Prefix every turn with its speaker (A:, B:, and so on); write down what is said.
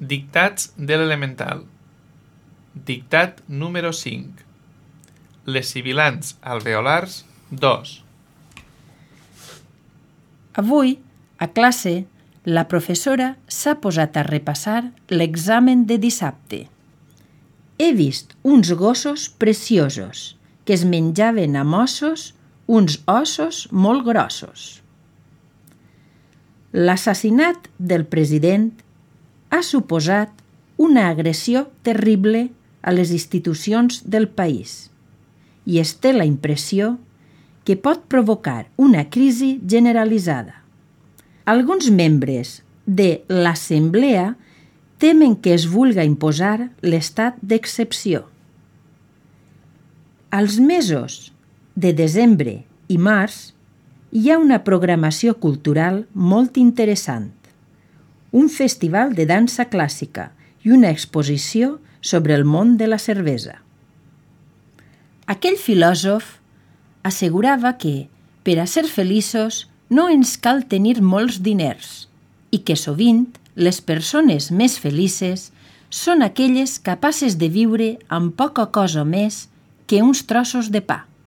A: Dictats de l'elemental. Dictat número 5. Les sibilants alveolars 2.
B: Avui, a classe, la professora s'ha posat a repassar l'examen de dissabte. He vist uns gossos preciosos que es menjaven amb ossos uns ossos molt grossos. L'assassinat del president ha suposat una agressió terrible a les institucions del país i es té la impressió que pot provocar una crisi generalitzada. Alguns membres de l'Assemblea temen que es vulga imposar l'estat d'excepció. Als mesos de desembre i març hi ha una programació cultural molt interessant, un festival de dansa clàssica i una exposició sobre el món de la cervesa. Aquell filòsof assegurava que, per a ser feliços, no ens cal tenir molts diners i que sovint les persones més felices són aquelles capaces de viure amb poca cosa més que uns trossos de pa.